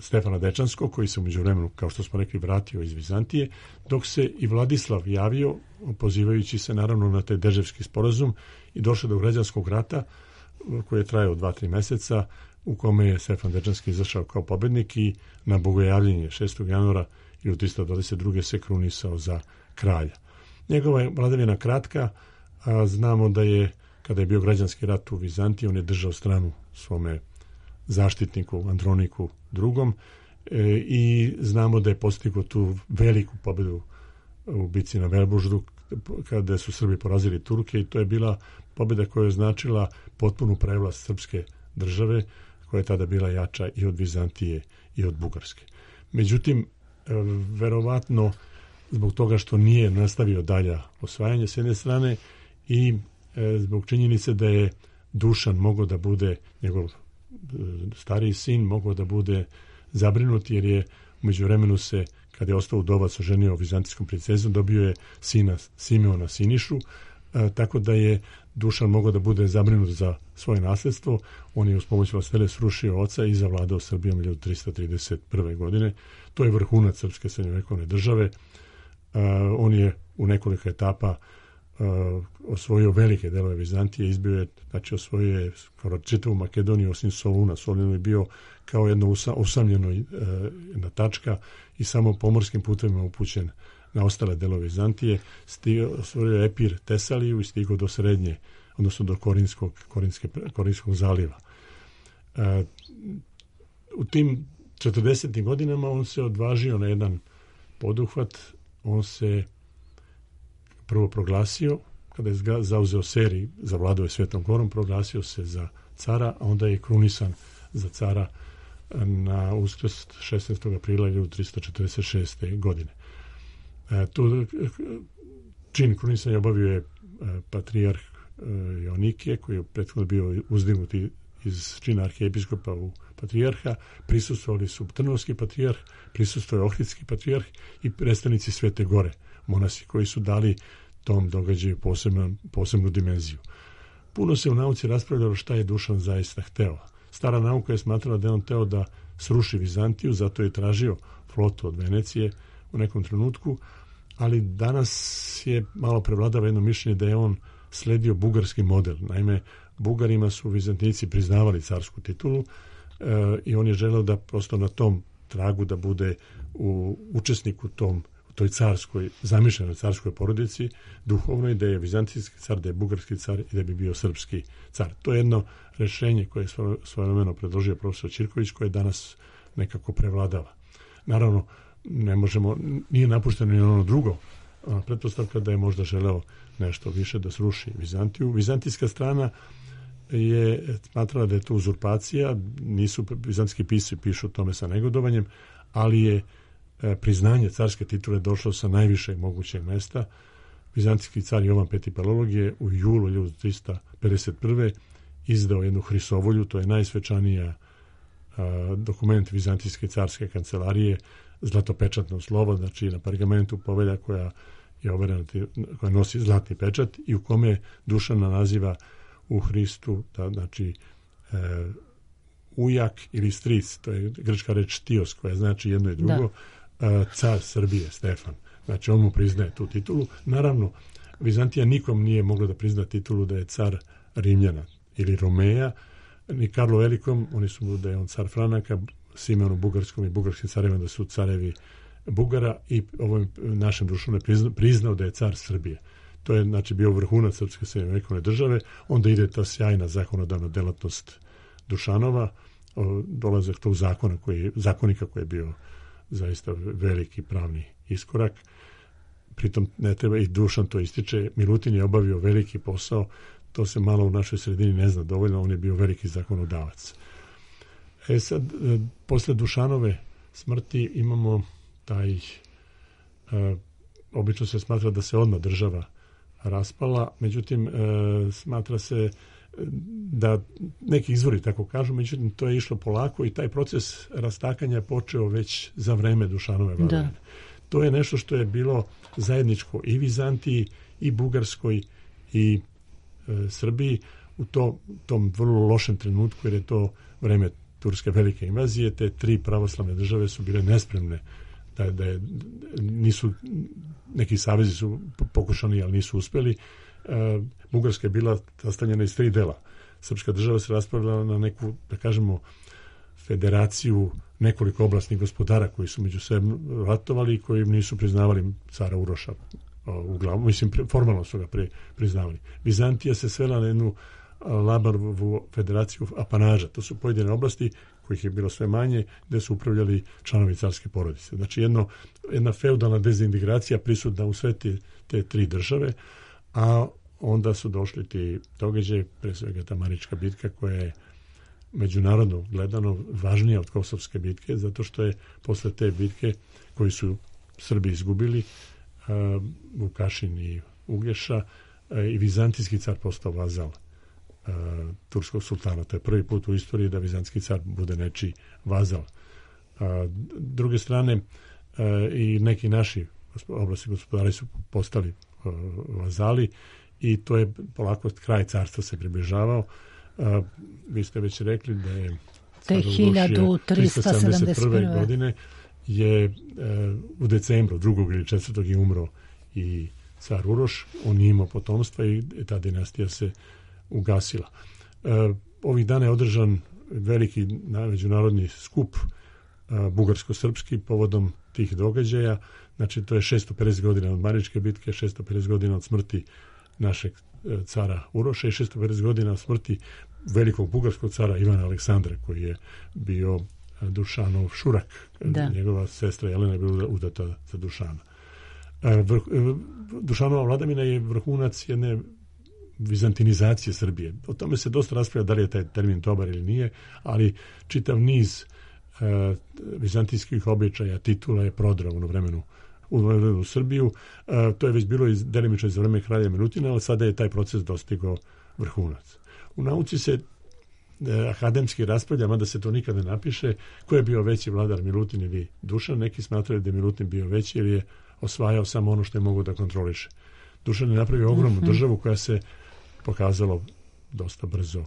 Stefana Dečanskog, koji se u međuvremenu, kao što smo rekli, vratio iz Vizantije, dok se i Vladislav javio, pozivajući se naravno na taj Deževski sporazum, i došao do građanskog rata koji je trajao dva, tri meseca, u kome je Stefan Dečanski izašao kao pobednik i na bogojavljenje šestog januara hiljadu tristo dvadeset druge se krunisao za kralja. Njegova je vladavina kratka, a znamo da je, kada je bio građanski rat u Vizantiji, on je držao stranu svome zaštitniku Androniku drugom e, i znamo da je postigao tu veliku pobedu u bici na Velbuždu kada su Srbi porazili Turke, i to je bila pobeda koja je značila potpunu prevlast srpske države, koja je tada bila jača i od Vizantije i od Bugarske. Međutim, e, verovatno zbog toga što nije nastavio dalja osvajanje s jedne strane i e, zbog činjenice da je Dušan mogao da bude njegov stariji sin, mogao da bude zabrinut, jer je u međuvremenu se, kad je ostao udovac, oženio vizantijskom princezom, dobio je sina Simeona Sinišu, a, tako da je Dušan mogao da bude zabrinut za svoje nasljedstvo. On je uz pomoć vlastele srušio oca i zavladao Srbijom hiljadu tristo trideset prve godine. To je vrhunac srpske srednjovekovne države. A, on je u nekoliko etapa Uh, osvojio velike delove Vizantije, izbio je, znači osvojio je skoro čitavu Makedoniju osim Soluna. Solun je bio kao jedno usa, usamljeno uh, jedna tačka i samo pomorskim putovima upućen na ostale delove Vizantije. Stigao, osvojio je Epir, Tesaliju i stigao do srednje, odnosno do Korinskog, Korinske, Korinskog zaliva. Uh, u tim četrdesetim godinama on se odvažio na jedan poduhvat. On se prvo proglasio, kada je zauzeo Seri, zavladao je Svetom Gorom, proglasio se za cara, a onda je krunisan za cara na Uskrs šesnaestog aprila hiljadu tristo četrdeset šeste godine. E, tu čin krunisanja obavio je e, patrijarh e, Joanikije, koji je prethodno bio uzdignut iz čina arhijepiskopa u patrijarha. Prisustvovali su Trnovski patrijarh, prisustvovao je Ohridski patrijarh i predstavnici Svete Gore, monasi, koji su dali tom događaju posebnu, posebnu dimenziju. Puno se u nauci raspravljalo šta je Dušan zaista hteo. Stara nauka je smatrala da je on hteo da sruši Vizantiju, zato je tražio flotu od Venecije u nekom trenutku, ali danas je malo prevladava jedno mišljenje da je on sledio bugarski model. Naime, Bugarima su Vizantijci priznavali carsku titulu e, i on je želeo da prosto na tom tragu da bude u, učesnik u tom toj carskoj, zamišljenoj carskoj porodici, duhovnoj, da je vizantijski car, da je bugarski car i da bi bio srpski car. To je jedno rešenje koje je svojevremeno predložio profesor Ćirković, koje danas nekako prevladava. Naravno, ne možemo, nije napušteno ni ono drugo, pretpostavka da je možda želeo nešto više da sruši Vizantiju. Vizantijska strana je smatrala da je to uzurpacija, nisu vizantijski pisci pišu o tome sa negodovanjem, ali je priznanje carske titule došlo sa najvišeg mogućeg mesta. Vizantijski car Jovan Peti Palelog je u julu hiljadu trista pedeset prve izdao jednu hrisovolju, to je najsvečanija a, dokument Vizantijske carske kancelarije, zlatopečatno slovo, znači na pergamentu povelja koja je overena, koja nosi zlatni pečat i u kome Dušana naziva u Hristu, da, znači e, ujak ili stric, to je grčka reč tios, koja znači jedno i drugo, e, car Srbije, Stefan. Znači on mu priznaje tu titulu. Naravno, Vizantija nikom nije mogla da prizna titulu da je car Rimljana ili Romeja, ni Karlo Velikom, oni su da je on car Franaka, Simeonu Bugarskom i bugarskim carevima da su carevi Bugara i ovom našem društvu priznao, priznao da je car Srbije. To je znači bio vrhunac srpske srednjovekovne države. Onda ide ta sjajna zakonodavna delatnost Dušanova, dolazak tog zakona koji, zakonika koji je bio zaista veliki pravni iskorak. Pritom ne treba, i Dušan to ističe, Milutin je obavio veliki posao, to se malo u našoj sredini ne zna dovoljno, on je bio veliki zakonodavac. E sad, posle Dušanove smrti imamo taj, e, obično se smatra da se odmah država raspala, međutim, e, smatra se da neki izvori tako kažu, međutim, to je išlo polako i taj proces rastakanja je počeo već za vreme Dušanove vladavine. To je nešto što je bilo zajedničko i Vizantiji, i Bugarskoj, i e, Srbiji u to, tom vrlo lošem trenutku, jer je to vreme turske velike invazije. Te tri pravoslavne države su bile nespremne da, da je, nisu, neki savezi su pokušani, ali nisu uspeli. E, Bugarska je bila sastavljena iz tri dela. Srpska država se raspravljala na neku, da kažemo, federaciju nekoliko oblastnih gospodara koji su među sebe ratovali i koji nisu priznavali cara Uroša u glavu. Mislim, formalno su ga pri, priznavali. Vizantija se svela na jednu Labarovu federaciju apanaža. To su pojedine oblasti kojih je bilo sve manje, gde su upravljali članovi carske porodice. Znači jedno, jedna feudalna dezintegracija prisutna u sve te, te tri države, a onda su došli ti događaji, pre svega ta Marička bitka koja je međunarodno gledano važnija od Kosovske bitke, zato što je posle te bitke koju su Srbi izgubili, uh, Vukašin i Ugeša, uh, i vizantijski car postao vazal uh, turskog sultana. To je prvi put u istoriji da vizantijski car bude nečiji vazal. Uh, druge strane, uh, i neki naši oblasti gospodari su postali uh, vazali i to je polako kraj carstva se približavao. Uh, vi ste već rekli da je te hiljadu trista sedamdeset prve godine je uh, u decembru drugog ili četvrtog je umro i car Uroš, on nije imao potomstva i ta dinastija se ugasila. Uh, ovih dana je održan veliki međunarodni skup uh, bugarsko-srpski povodom tih događaja. Znači to je šesto pedeset godina od Maričke bitke, šesto pedeset godina od smrti našeg cara Uroša i šesto pedeset godina od smrti velikog bugarskog cara Ivana Aleksandra, koji je bio Dušanov šurak. Da. Njegova sestra Jelena je bila udata za Dušana. Vrh, Dušanova vladavina je vrhunac jedne vizantinizacije Srbije. O tome se dosta raspravlja da li je taj termin dobar ili nije, ali čitav niz uh, vizantijskih običaja, titula je prodrao u vremenu u u Srbiju. Uh, to je već bilo iz, delimično za vreme kralja Milutina, ali sada je taj proces dostigao vrhunac. U nauci se uh, akademski raspravlja, mada se to nikada ne napiše, ko je bio veći vladar, Milutin ili Dušan. Neki smatraju da je Milutin bio veći jer je osvajao samo ono što je mogao da kontroliše. Dušan je napravio ogromnu mm-hmm. državu koja se pokazalo dosta brzo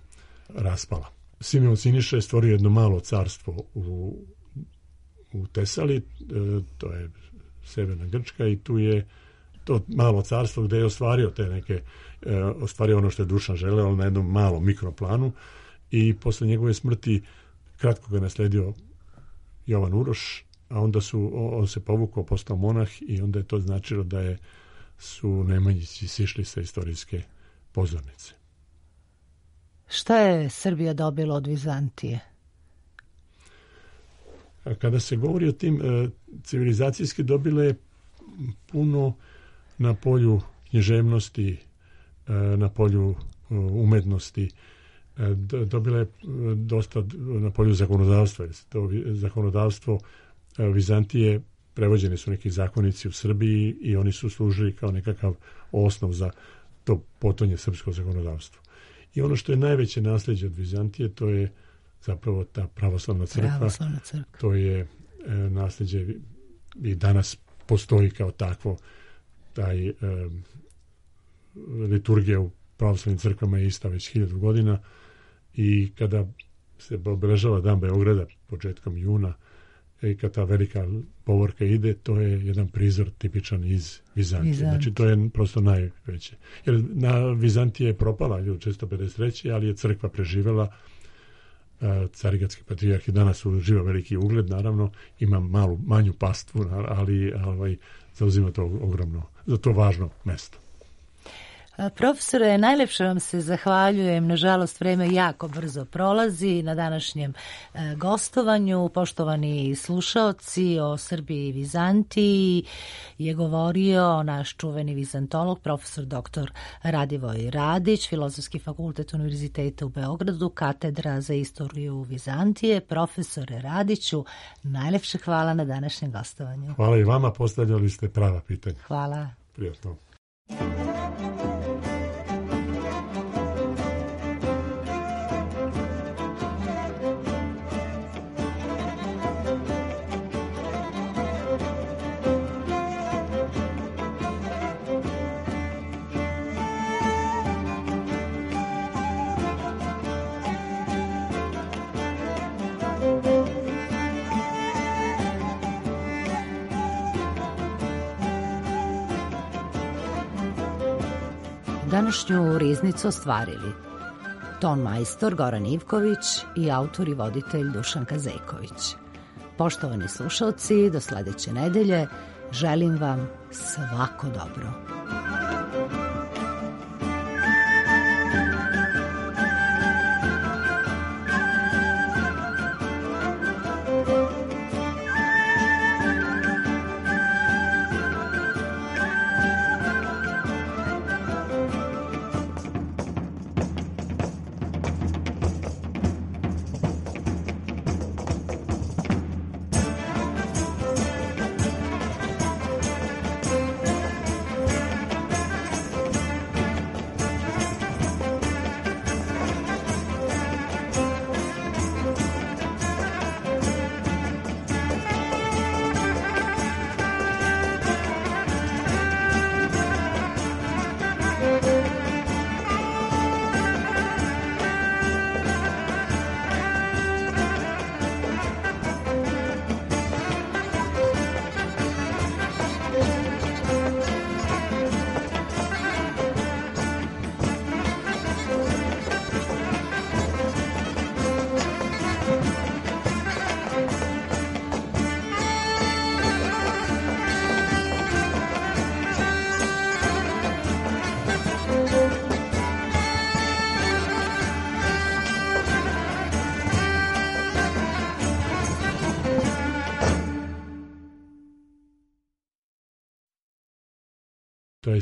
raspala. Simeon Siniša je stvorio jedno malo carstvo u, u Tesali, e, to je severna Grčka, i tu je to malo carstvo gde je ostvario te neke, e, ostvario ono što je Dušan želeo, ali na jednom malom mikroplanu, i posle njegove smrti kratko ga nasledio Jovan Uroš a onda su, on se povukao, postao monah i onda je to značilo da je, su Nemanjići sišli sa istorijske pozornice. Šta je Srbija dobila od Vizantije? A kada se govori o tim e, civilizacijski, dobile je puno na polju književnosti, e, na polju e, umetnosti, e, dobile je dosta na polju zakonodavstva. To zakonodavstvo e, Vizantije, prevođeni su neki zakonici u Srbiji i oni su služili kao nekakav osnov za to potonje srpsko zakonodavstvo. I ono što je najveće nasljeđe od Vizantije, to je zapravo ta pravoslavna crkva. Pravoslavna crkva. To je e, nasljeđe i danas postoji kao takvo. Taj e, liturgija u pravoslavnim crkvama je ista već hiljadu godina i kada se obeležava Dan Beograda početkom juna i kad ta velika povorka ide, to je jedan prizor tipičan iz Vizantije. Vizant. Znači to je prosto najveće. Jer na Vizantije je propala hiljadu četiristo pedeset treće ali je crkva preživela. Carigradski patrijarh i danas uživa veliki ugled, naravno ima malu, manju pastvu, ali ovaj, zauzima to ogromno, za to važno mesto. Profesore, najlepše vam se zahvaljujem. Nažalost, vreme jako brzo prolazi na današnjem e, gostovanju. Poštovani slušaoci, o Srbiji i Vizantiji je govorio naš čuveni vizantolog, profesor doktor Radivoj Radić, Filozofski fakultet Univerziteta u Beogradu, katedra za istoriju Vizantije. Profesore Radiću, najlepše hvala na današnjem gostovanju. Hvala i vama, postavljali ste prava pitanja. Hvala. Prijatno. Današnju riznicu ostvarili ton majstor Goran Ivković i autor i voditelj Dušan Kazejković. Poštovani slušalci, do sledeće nedelje želim vam svako dobro. To je